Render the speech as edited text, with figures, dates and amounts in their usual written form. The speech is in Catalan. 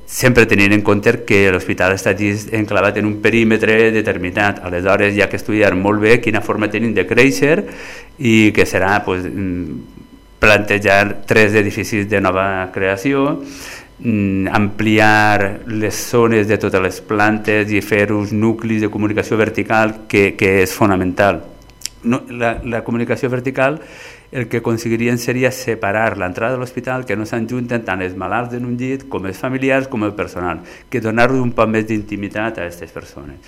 sempre tenint en compte que l'hospital està enclavat en un perímetre determinat. Aleshores hi ha que estudiar molt bé quina forma tenim de créixer i que serà plantejar 3 edificis de nova creació, ampliar les zones de totes les plantes i fer uns nuclis de comunicació vertical que és fonamental. La comunicació vertical el que aconseguirien seria separar l'entrada de l'hospital, que no s'enjunten tant els malalts en un llit com els familiars com el personal, que donar-li un poc més d'intimitat a aquestes persones.